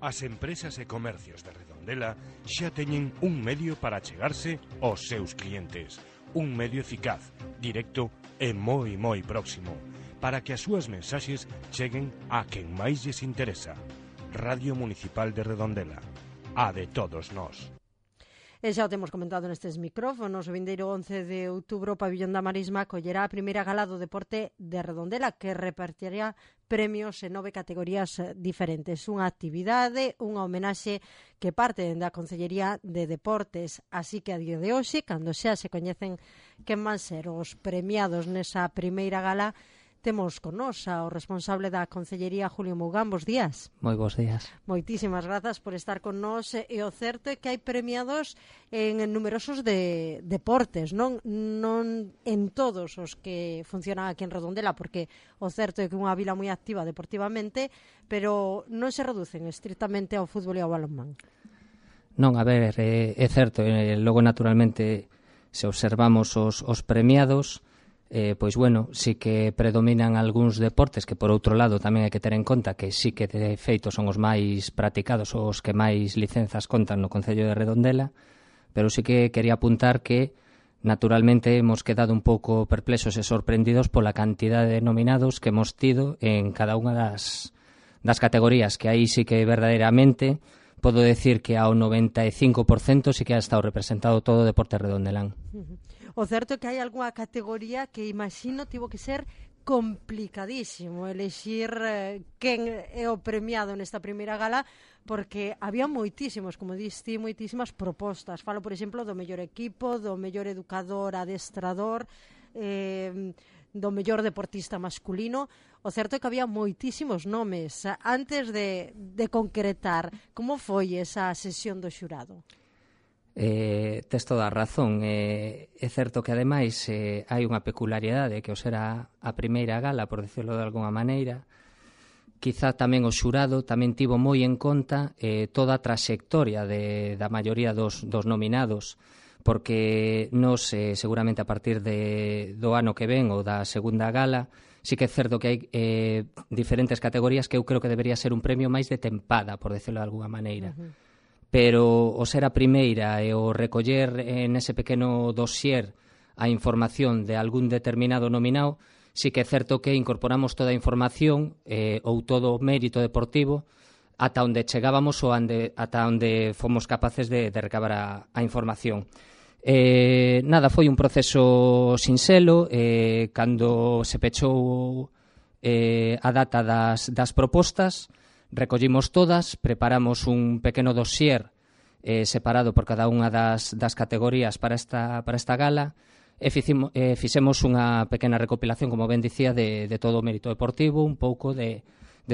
As empresas e comercios de Redondela xa teñen un medio para chegarse aos seus clientes. Un medio eficaz, directo e moi próximo, para que as súas mensaxes cheguen a quen máis lles interesa. Radio Municipal de Redondela, a de todos nós. E xa o temos comentado nestes micrófonos, o vindeiro 11 de outubro o Pabillón da Marisma collerá a primeira gala do deporte de Redondela, que repartirá premios en 9 categorías diferentes. Unha actividade, unha homenaxe que parte da Concellería de Deportes. Así que a día de hoxe, cando xa se coñecen quen van ser os premiados nesa primeira gala, temos con nos ao responsable da Concellería, Julio Mougán. Bos días. Moi bons días. Moitísimas grazas por estar con nos. E o certo é que hai premiados en numerosos deportes, non en todos os que funcionan aquí en Redondela, porque o certo é que é unha vila moi activa deportivamente, pero non se reducen estrictamente ao fútbol e ao balonmán. Non, a ver, é certo, logo naturalmente se observamos os premiados, pois bueno, sí que predominan algúns deportes que por outro lado tamén hai que ter en conta que sí que de feito son os máis practicados, os que máis licenzas contan no Concello de Redondela, pero sí que quería apuntar que naturalmente hemos quedado un pouco perplexos e sorprendidos pola cantidade de nominados que hemos tido en cada unha das categorías, que aí sí que verdadeiramente podo decir que ao 95% sí que ha estado representado todo o deporte redondelán. O certo é que hai algunha categoría que imagino tivo que ser complicadísimo elexir quen é o premiado nesta primeira gala, porque había moitísimos, como diste, moitísimas propostas. Falo, por exemplo, do mellor equipo, do mellor educador, adestrador, do mellor deportista masculino. O certo é que había moitísimos nomes. Antes de concretar, como foi esa sesión do xurado? Tes toda a razón. É certo que ademais hai unha peculiaridade que o será a primeira gala, por decirlo de alguna maneira. Quizá tamén o xurado tamén tivo moi en conta toda a traxectoria da maioría dos nominados, porque nos seguramente a partir do ano que ven ou da segunda gala sí que é certo que hai diferentes categorías que eu creo que debería ser un premio máis de tempada, por decirlo de alguna maneira. Pero o ser a primeira e o recoller nese pequeno dossier a información de algún determinado nominado, sí que é certo que incorporamos toda a información ou todo o mérito deportivo ata onde chegábamos ou ata onde fomos capaces de recabar a información. Nada, foi un proceso sinxelo. Cando se pechou a data das propostas, recollimos todas, preparamos un pequeno dossier separado por cada unha das categorías para esta gala e fixemos unha pequena recopilación, como ben dicía, de todo o mérito deportivo, un pouco de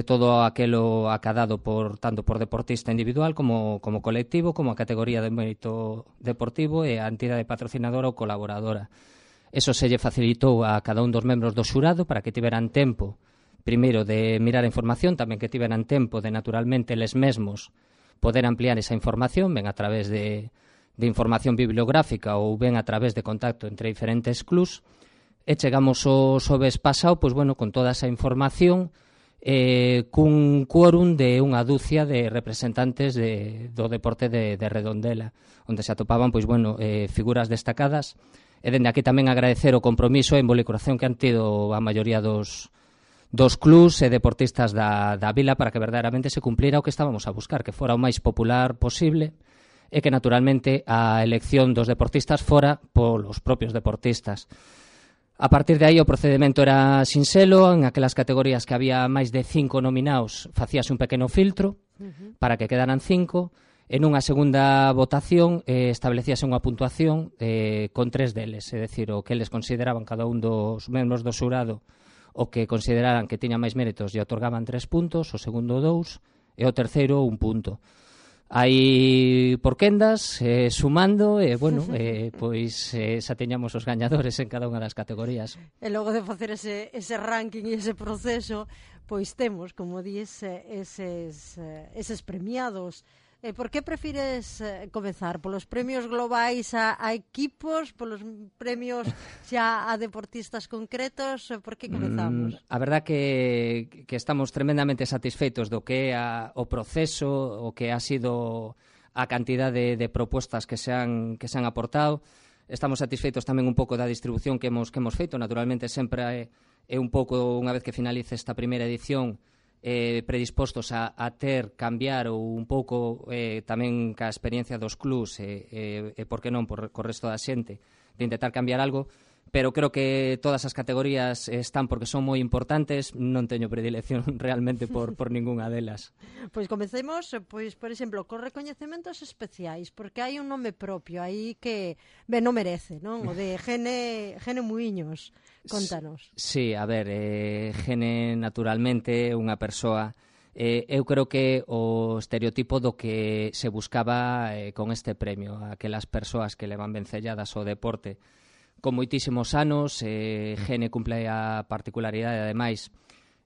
todo aquelo acadado tanto por deportista individual como colectivo, como a categoría de mérito deportivo e a entidade patrocinadora ou colaboradora. Eso se lle facilitou a cada un dos membros do xurado para que tiveran tempo primeiro de mirar a información, tamén que tiveran tempo de naturalmente eles mesmos poder ampliar esa información, ben a través de información bibliográfica ou ben a través de contacto entre diferentes clubs, e chegamos o xoves pasado, pois bueno, con toda esa información, cun quórum de unha dúcia de representantes do deporte de Redondela, onde se atopaban, pois bueno, figuras destacadas, e dende aquí tamén agradecer o compromiso e involucración que han tido a maioría dos clubs e deportistas da vila para que verdadeiramente se cumplira o que estábamos a buscar, que fora o máis popular posible e que naturalmente a elección dos deportistas fora polos propios deportistas. A partir de aí o procedimento era sinxelo. En aquelas categorías que había máis de 5 nominados facíase un pequeno filtro para que quedaran 5. En unha segunda votación establecíase unha puntuación con 3 deles, é dicir, o que eles consideraban cada un dos membros do xurado o que consideraran que tiña máis méritos e otorgaban 3 puntos, o segundo 2 e o terceiro 1 punto. Aí por quendas, sumando, e bueno, pois xa teñamos os gañadores en cada unha das categorías. E logo de facer ese ranking e ese proceso, pois temos, como dís, eses premiados Por que prefires comezar? Polos premios globais a equipos, polos premios xa a deportistas concretos? Por que comezamos? A verdad que estamos tremendamente satisfeitos do que é o proceso, o que ha sido a cantidade de propostas que se han aportado. Estamos satisfeitos tamén un pouco da distribución que hemos feito. Naturalmente, sempre é un pouco, unha vez que finalice esta primeira edición, predispostos a cambiar ou un pouco tamén ca experiencia dos clubs e por que non, co resto da xente, de intentar cambiar algo, pero creo que todas as categorías están porque son moi importantes. Non teño predilección realmente por ningunha delas. Pois comecemos, por exemplo, cos recoñecementos especiais, porque hai un nome propio aí que non merece, non? O de Gene Muiños. Contanos. Sí, a ver, Gene naturalmente é unha persoa, eu creo que o estereotipo do que se buscaba con este premio, aquelas persoas que levan vencelladas ao deporte con moitísimos anos. Gene cumple a particularidade, ademais,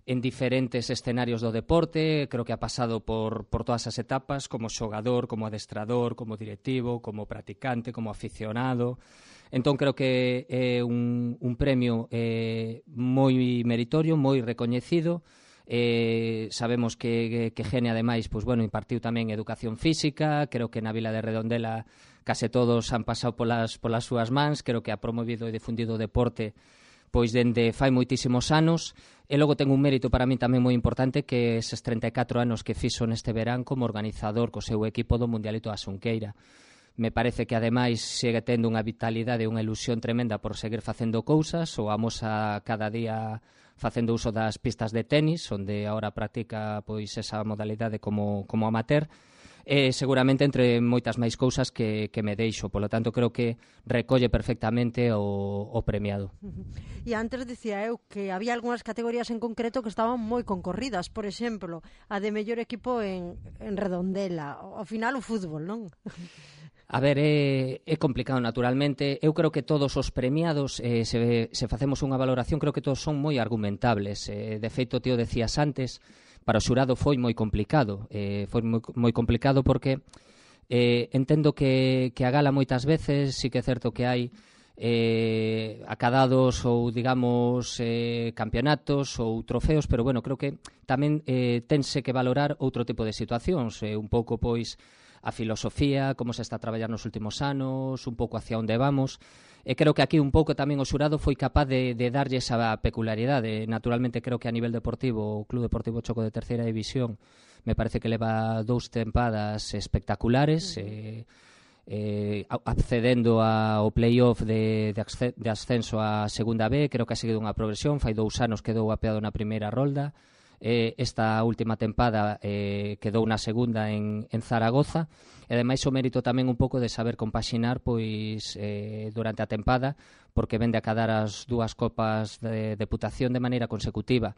en diferentes escenarios do deporte. Creo que ha pasado por todas as etapas, como xogador, como adestrador, como directivo, como practicante, como aficionado. Entón, creo que é un premio moi meritorio, moi recoñecido. Sabemos que Gene, ademais, impartiu tamén educación física. Creo que na vila de Redondela case todos han pasado polas súas mans. Creo que ha promovido e difundido o deporte pois dende fai moitísimos anos. E logo ten un mérito para mí tamén moi importante, que eses 34 anos que fixo neste verán como organizador co seu equipo do Mundialito da Xunqueira. Me parece que, ademais, segue tendo unha vitalidade e unha ilusión tremenda por seguir facendo cousas. O amosa cada día facendo uso das pistas de tenis, onde agora practica pois esa modalidade como amateur. Seguramente entre moitas máis cousas que me deixo. Polo tanto, creo que recolle perfectamente o premiado. E antes dicía eu que había algunhas categorías en concreto que estaban moi concorridas. Por exemplo, a de mellor equipo en Redondela. Ao final, o fútbol, non? A ver, é complicado, naturalmente. Eu creo que todos os premiados, se facemos unha valoración, creo que todos son moi argumentables. De feito, ti o decías antes, para o xurado foi moi complicado. Foi moi complicado porque entendo que a gala moitas veces sí que é certo que hai acadados ou, digamos, campeonatos ou trofeos, pero, creo que tamén tense que valorar outro tipo de situacións, un pouco, pois, a filosofía, como se está a traballar nos últimos anos, un pouco hacia onde vamos. E creo que aquí un pouco tamén o xurado foi capaz de darlle esa peculiaridade. Naturalmente, creo que a nivel deportivo, o Club Deportivo Choco de terceira división me parece que leva 2 tempadas espectaculares, accedendo ao play-off de ascenso a segunda B. Creo que ha seguido unha progresión. Fai 2 anos quedou apeado na primeira rolda. Esta última tempada quedou na segunda en Zaragoza. E ademais o mérito tamén un pouco de saber compaxinar pois durante a tempada, porque vende a cadar as 2 copas de deputación de maneira consecutiva.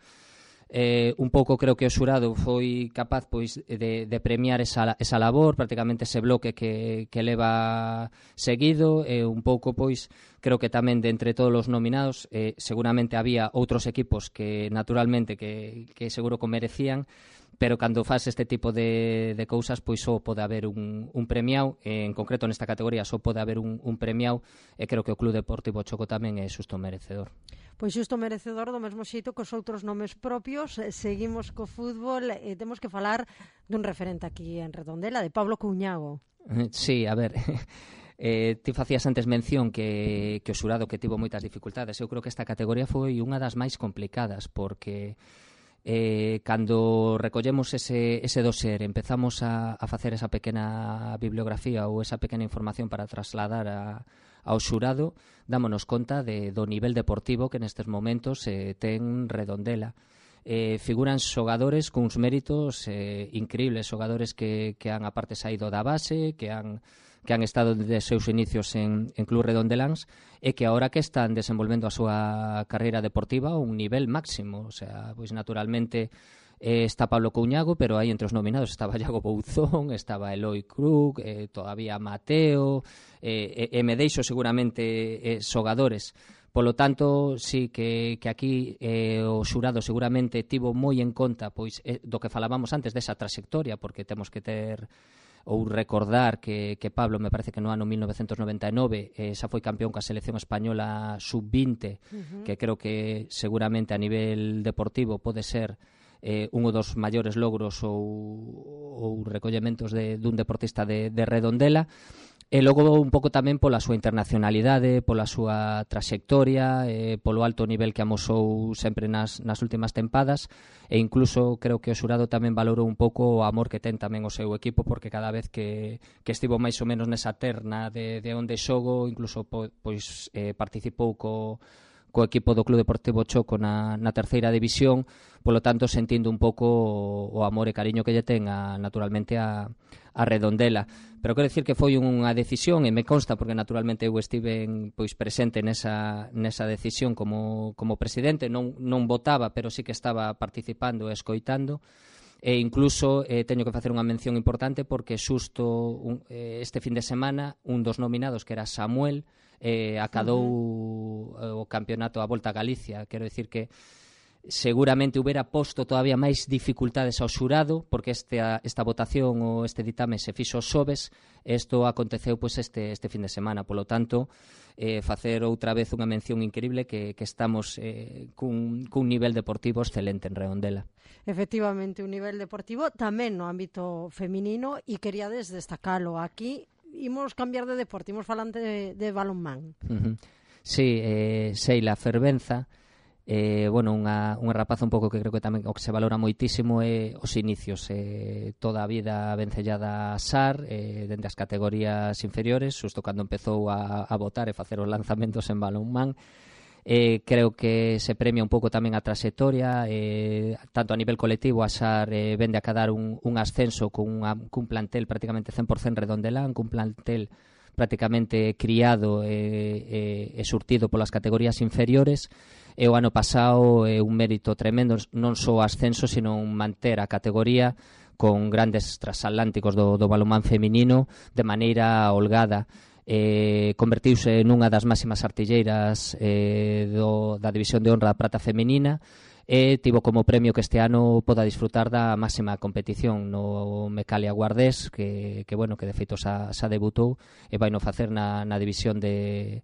Un pouco creo que o xurado foi capaz pois de premiar esa labor, prácticamente ese bloque que leva seguido. Un pouco pois creo que tamén de entre todos os nominados seguramente había outros equipos que naturalmente que seguro que merecían, pero cando faz este tipo de cousas pois só pode haber un premiado. En concreto nesta categoría só pode haber un premiado, e creo que o Club Deportivo Choco tamén é xusto merecedor. Pois xusto merecedor, do mesmo xeito que os outros nomes propios. Seguimos co fútbol e temos que falar dun referente aquí en Redondela, de Pablo Couñago. Sí, a ver, ti facías antes mención que o xurado que tivo moitas dificultades. Eu creo que esta categoría foi unha das máis complicadas, porque cando recollemos ese dossier, empezamos a facer esa pequena bibliografía ou esa pequena información para trasladar ao xurado, dámonos conta do nivel deportivo que nestes momentos ten Redondela. Figuran xogadores cuns méritos increíbles, xogadores que han aparte saído da base, que han estado desde seus inicios en Club Redondeláns, e que agora que están desenvolvendo a súa carreira deportiva a un nivel máximo. O sea, pois naturalmente está Pablo Couñago, pero aí entre os nominados estaba Iago Bouzón, estaba Eloi Krug, todavía Mateo, e me deixo seguramente xogadores. Polo tanto, sí que aquí o xurado seguramente tivo moi en conta pois do que falábamos antes desa trayectoria, porque temos que ter ou recordar que Pablo, me parece que no ano 1999 xa foi campeón coa selección española sub-20, que creo que seguramente a nivel deportivo pode ser un dos maiores logros ou recollementos dun deportista de Redondela. E logo un pouco tamén pola súa internacionalidade, pola súa traxectoria, polo alto nivel que amosou sempre nas últimas tempadas, e incluso creo que o xurado tamén valorou un pouco o amor que ten tamén o seu equipo, porque cada vez que estivo máis ou menos nesa terna de onde xogo, incluso pois participou co equipo do Club Deportivo Choco na terceira división, polo tanto sentindo un pouco o amor e cariño que lle ten naturalmente a Redondela. Pero quero dicir que foi unha decisión, e me consta porque naturalmente eu estive pois presente nesa decisión como presidente, non votaba, pero sí que estaba participando e escoitando. E incluso teño que facer unha mención importante porque xusto este fin de semana un dos nominados, que era Samuel, acadou o campeonato a Volta a Galicia. Quero dicir que seguramente hubiera posto todavía máis dificultades ao xurado, porque esta votación ou este ditame se fixo xoves, e isto aconteceu pois este fin de semana. Polo tanto, facer outra vez unha mención increíble que estamos cun nivel deportivo excelente en Redondela. Efectivamente, un nivel deportivo tamén no ámbito feminino, e queríades destacalo aquí. Imos cambiar de deporte, imos falante de balonmán. Sí, Sheila Fervenza, unha rapaza un pouco que creo que tamén o que se valora moitísimo é os inicios, toda a vida vencellada a SAR, dende as categorías inferiores, xusto cando empezou a botar e facer os lanzamentos en balonmán. Creo que se premia un pouco tamén a traxectoria, tanto a nivel colectivo. A SAR vende a cadar un ascenso cun plantel prácticamente 100% redondelán, cun plantel prácticamente criado e surtido polas categorías inferiores, e o ano pasado un mérito tremendo, non só o ascenso, sino manter a categoría con grandes transatlánticos do balonmán feminino de maneira holgada. Convertiuse nunha das máximas artilleiras da División de Honra da Prata Femenina, e tivo como premio que este ano poda disfrutar da máxima competición no Mecalia Guardés, que de feito xa debutou e vai no facer na División de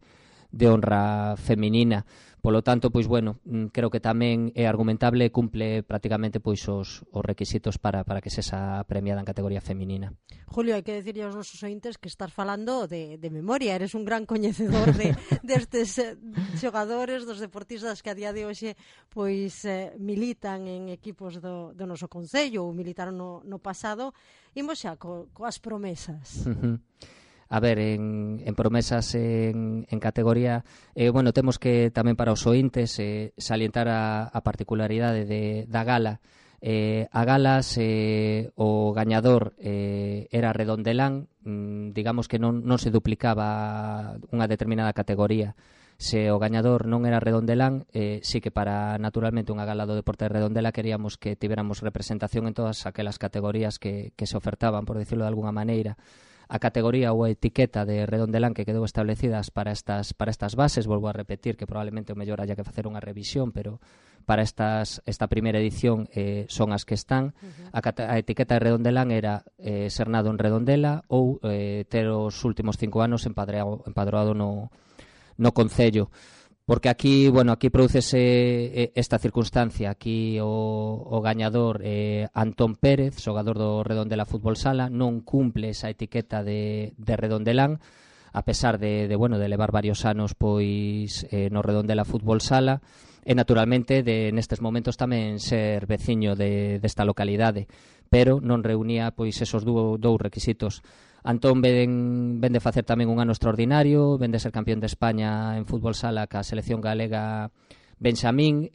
Honra Femenina. Polo tanto, creo que tamén é argumentable e cumple prácticamente os requisitos para que sexa premiada en categoría feminina. Julio, hai que decirle aos nosos ointes que estás falando de memoria, eres un gran coñecedor destes xogadores, dos deportistas que a día de hoxe militan en equipos do noso concello ou militaron no pasado. Imos xa coas promesas. A ver, en promesas en categoría, temos que tamén para os ointes salientar a particularidade da gala. A gala, o gañador era Redondelán, digamos que non se duplicaba unha determinada categoría. Se o gañador non era Redondelán, sí que para naturalmente unha gala do deporte de Redondela queríamos que tiveramos representación en todas aquelas categorías que se ofertaban, por decirlo de alguna maneira. A categoría ou a etiqueta de Redondelán que quedou establecidas para estas bases, volvo a repetir que probablemente o mellor haya que facer unha revisión, pero para esta primeira edición son as que están. A etiqueta de Redondelán era ser nado en Redondela ou ter os últimos 5 anos empadroado no concello. Porque aquí prodúcese esta circunstancia. Aquí o gañador Antón Pérez, xogador do Redondela Fútbol Sala, non cumple esa etiqueta de Redondelán, a pesar de levar varios anos no Redondela Fútbol Sala, e naturalmente nestes momentos tamén ser veciño desta localidade, pero non reunía esos dous requisitos. Antón vende facer tamén un ano extraordinario, vende ser campeón de España en fútbol sala ca selección galega Benxamín,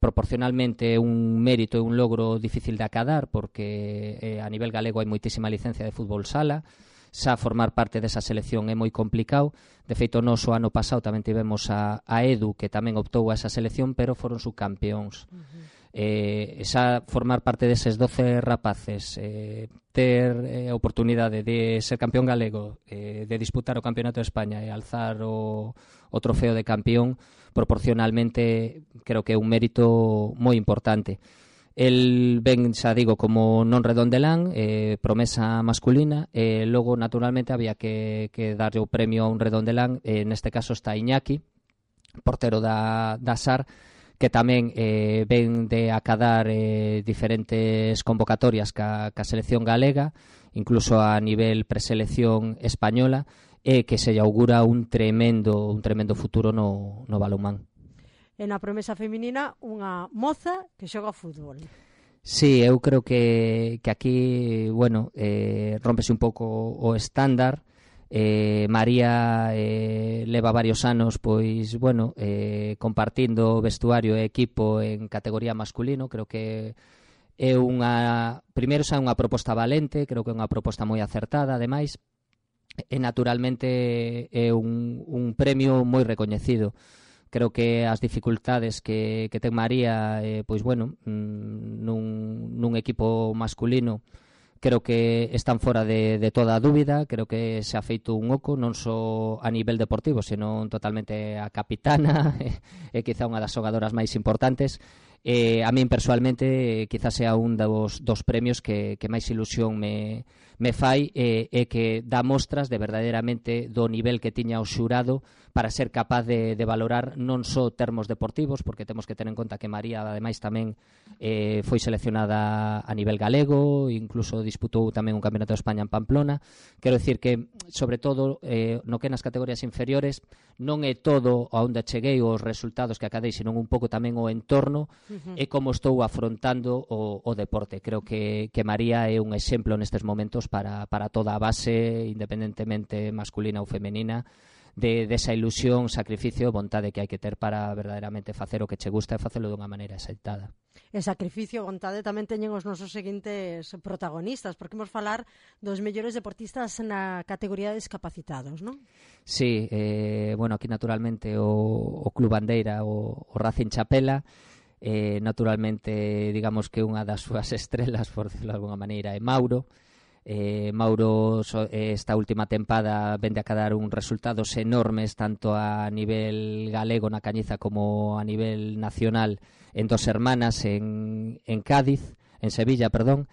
proporcionalmente un mérito e un logro difícil de acadar, porque a nivel galego hai moitísima licencia de fútbol sala, xa formar parte desa selección é moi complicado. De feito, o ano pasado tamén tivemos a Edu, que tamén optou a esa selección, pero foron subcampeóns. Xa formar parte deses 12 rapaces, ter a oportunidade de ser campeón galego, de disputar o Campeonato de España e alzar o trofeo de campeón, proporcionalmente creo que é un mérito moi importante. El ven, xa digo, como non redondelán, promesa masculina, logo, naturalmente, había que darlle o premio a un redondelán, neste caso está Iñaki, portero da SAR, que tamén ven de acadar diferentes convocatorias ca selección galega, incluso a nivel preselección española, e que se lle augura un tremendo futuro no balonmán. E na promesa feminina, unha moza que xoga fútbol. Sí, eu creo que aquí, bueno, rómpese un pouco o estándar. María leva varios anos, pois, bueno, compartindo vestuario e equipo en categoría masculino. Creo que é primeiro xa unha proposta valente, creo que é unha proposta moi acertada, ademais, e naturalmente é un premio moi recoñecido. Creo que as dificultades que ten María, pois bueno, nun equipo masculino, creo que están fora de toda a dúbida. Creo que se ha feito un oco, non só a nivel deportivo, senón totalmente a capitana, e quizá unha das xogadoras máis importantes. A min persoalmente quizás sea un dos premios que máis ilusión me fai, e que dá mostras de verdadeiramente do nivel que tiña o xurado para ser capaz de valorar non só termos deportivos, porque temos que ter en conta que María ademais tamén foi seleccionada a nivel galego, incluso disputou tamén un campeonato de España en Pamplona. Quero dicir que, sobre todo, no que nas categorías inferiores, non é todo a onde cheguei os resultados que acadei, senón un pouco tamén o entorno e como estou afrontando o deporte. Creo que María é un exemplo nestes momentos para toda a base, independentemente masculina ou femenina, desa ilusión, sacrificio e vontade que hai que ter para verdadeiramente facer o que che gusta e facelo dunha maneira exaltada. E sacrificio e vontade tamén teñen os nosos seguintes protagonistas, porque imos falar dos mellores deportistas na categoría de discapacitados, non? Sí, bueno, aquí naturalmente o Club Bandeira, o Racing Chapela, naturalmente, digamos que unha das súas estrelas, por decirlo de alguna maneira, é Mauro. Mauro esta última tempada vende a cadar uns resultados enormes tanto a nivel galego na Cañiza como a nivel nacional en Dos Hermanas en Cádiz, en Sevilla, perdón,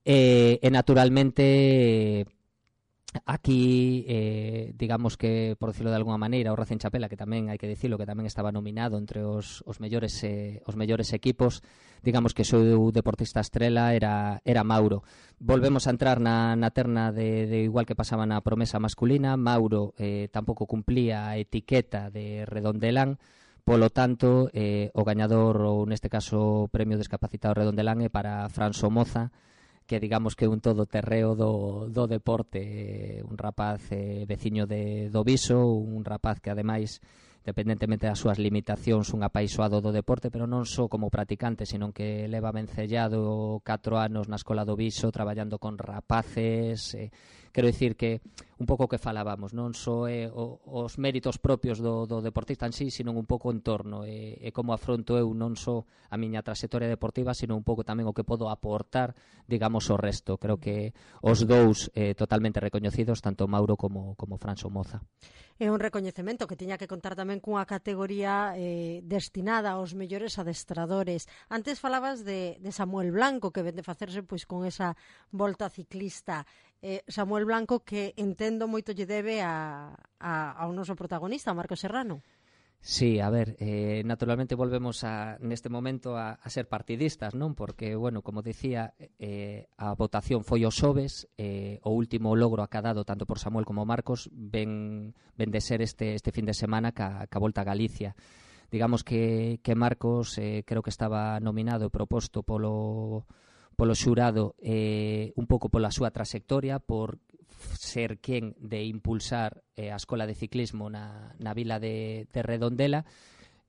e naturalmente aquí, digamos que, por decirlo de alguna maneira, o Racing Chapela, que tamén hai que dicilo, que tamén estaba nominado entre os mellores equipos, digamos que o seu deportista estrela era Mauro. Volvemos a entrar na terna de igual que pasaba na promesa masculina. Mauro tampouco cumplía a etiqueta de redondelán, polo tanto, o gañador, ou neste caso o premio discapacitado redondelán, é para Fran Somoza, que digamos que é un todoterreo do deporte, un rapaz veciño do Viso, un rapaz que ademais, independentemente das súas limitacións, un apaixoado do deporte, pero non só como practicante, senón que leva vencellado 4 anos na escola do Viso, traballando con rapaces. Quero dicir que un pouco que falábamos, non só os méritos propios do deportista en sí, senón un pouco o entorno, e como afronto eu non só a miña trayectoria deportiva, senón un pouco tamén o que podo aportar, digamos, o resto. Creo que os dous totalmente recoñecidos, tanto Mauro como Fran Somoza. É un recoñecemento que tiña que contar tamén cunha categoría destinada aos mellores adestradores. Antes falabas de Samuel Blanco, que vende facerse pois con esa volta ciclista. Samuel Blanco, que entendo moito lle debe ao noso protagonista, Marcos Serrano. Sí, a ver, naturalmente volvemos neste momento a ser partidistas, non? Porque, bueno, como dicía, a votación foi o xoves, o último logro acadado tanto por Samuel como Marcos ven de ser este fin de semana ca Volta a Galicia. Digamos que Marcos creo que estaba nominado e proposto polo xurado un pouco pola súa trayectoria, por ser quen de impulsar a escola de ciclismo na vila de Redondela.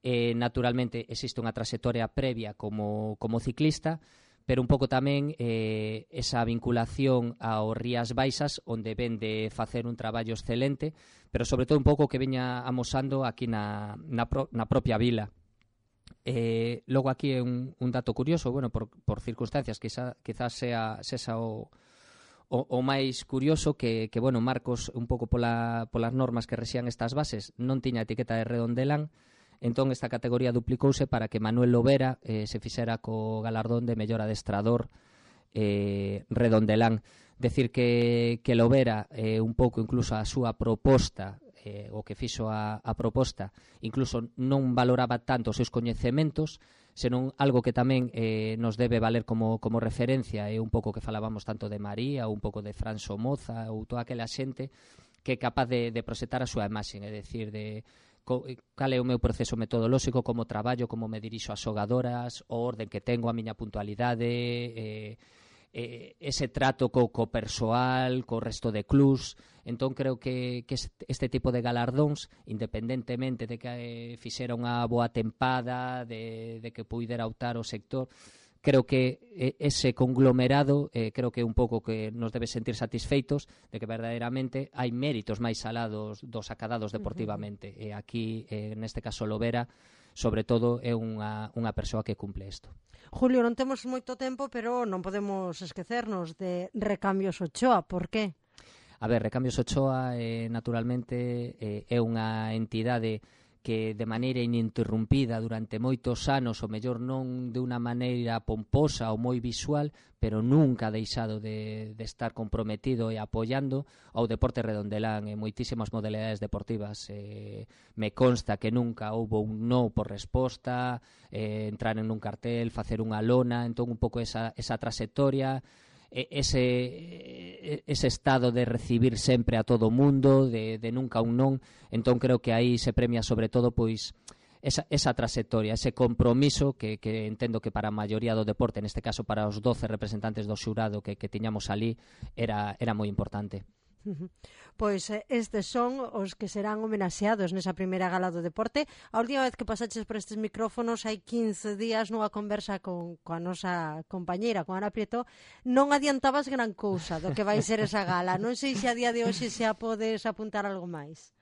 Naturalmente existe unha trayectoria previa como ciclista, pero un pouco tamén esa vinculación ao Rías Baixas, onde ven de facer un traballo excelente, pero sobre todo un pouco que veña amosando aquí na propia vila. Logo aquí é un dato curioso, bueno, por circunstancias, quizás sea o máis curioso que bueno, Marcos, un pouco polas normas que rexían estas bases, non tiña etiqueta de redondelán, Entón, esta categoría duplicouse para que Manuel Lobera se fixera co galardón de mellor adestrador redondelán. Decir que Lobera, un pouco incluso a súa proposta, o que fixo a proposta, incluso non valoraba tanto os seus coñecementos, senón algo que tamén nos debe valer como referencia, un pouco que falábamos tanto de María, un pouco de Fran Somoza ou toda aquela xente que é capaz de proxectar a súa imaxe, é dicir, de cal é o meu proceso metodolóxico, como traballo, como me dirixo ás xogadoras, o orden que tengo, a miña puntualidade, ese trato co persoal, co resto de clubs. Entón creo que este tipo de galardóns, independentemente de que fixera unha boa tempada, de que puidera optar o sector, creo que ese conglomerado creo que é un pouco que nos debe sentir satisfeitos de que verdadeiramente hai méritos máis alados dos acadados deportivamente. E aquí, neste caso, Lobera, sobre todo, é unha persoa que cumple isto. Julio, non temos moito tempo, pero non podemos esquecernos de Recambios Ochoa. Por qué? A ver, Recambios Ochoa, naturalmente, é unha entidade que de maneira ininterrumpida durante moitos anos, o mellor non de unha maneira pomposa ou moi visual, pero nunca ha deixado de estar comprometido e apoiando ao deporte redondelán en moitísimas modalidades deportivas. Me consta que nunca houbo un no por resposta, entrar en un cartel, facer unha lona, entón un pouco esa trayectoria, ese estado de recibir sempre a todo o mundo, de nunca un non. Entón creo que aí se premia sobre todo pois esa trayectoria, ese compromiso que entendo que para a maioría do deporte, neste caso para os 12 representantes do xurado que tiñamos ali, era moi importante. Pois estes son os que serán homenaxeados nesa primeira gala do deporte. A última vez que pasaches por estes micrófonos hai 15 días nunha conversa coa nosa compañeira, con Ana Prieto, non adiantabas gran cousa do que vai ser esa gala. Non sei se a día de hoxe xa podes apuntar algo máis.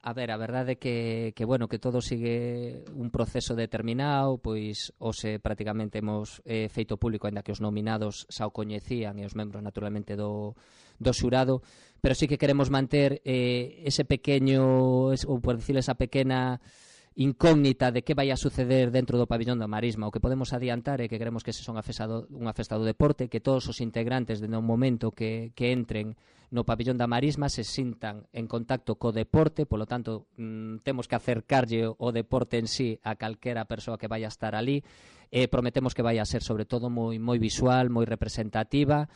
A ver, a verdade é que bueno, que todo sigue un proceso determinado, pois hoxe prácticamente hemos feito público, ainda que os nominados xa o coñecían e os membros naturalmente do xurado, pero sí que queremos manter ese pequeño, ou por decir, esa pequena incógnita de que vai a suceder dentro do pabillón da Marisma. O que podemos adiantar é que queremos que se son unha festa do deporte, que todos os integrantes dende o momento que entren no pabillón da Marisma se sintan en contacto co deporte, polo tanto temos que acercarlle o deporte en sí a calquera persoa que vai a estar ali. Prometemos que vai a ser sobre todo moi visual, moi representativa,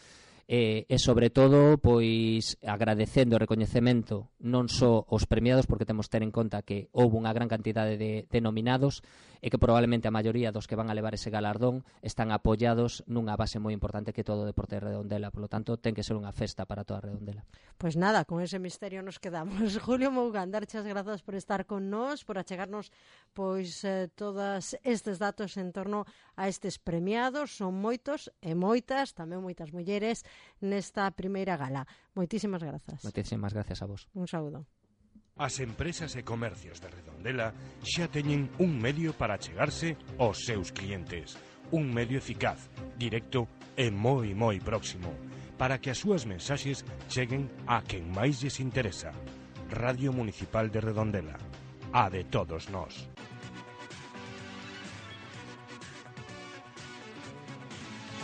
e sobre todo pois agradecendo o recoñecemento non só aos premiados, porque temos que ter en conta que houve unha gran cantidade de nominados e que probablemente a maioría dos que van a levar ese galardón están apoiados nunha base moi importante que todo o deporte de Redondela, polo tanto ten que ser unha festa para toda Redondela. Pois nada, con ese misterio nos quedamos. Julio Mougán, darchas grazas por estar con nós, por achegarnos pois todos estes datos en torno a estes premiados. Son moitos e moitas, tamén moitas mulleres nesta primeira gala. Moitísimas grazas. Moitísimas gracias a vos. Un saúdo. As empresas e comercios de Redondela xa teñen un medio para achegarse aos seus clientes. Un medio eficaz, directo e moi próximo, para que as súas mensaxes cheguen a quen máis lles interesa. Radio Municipal de Redondela, a de todos nós.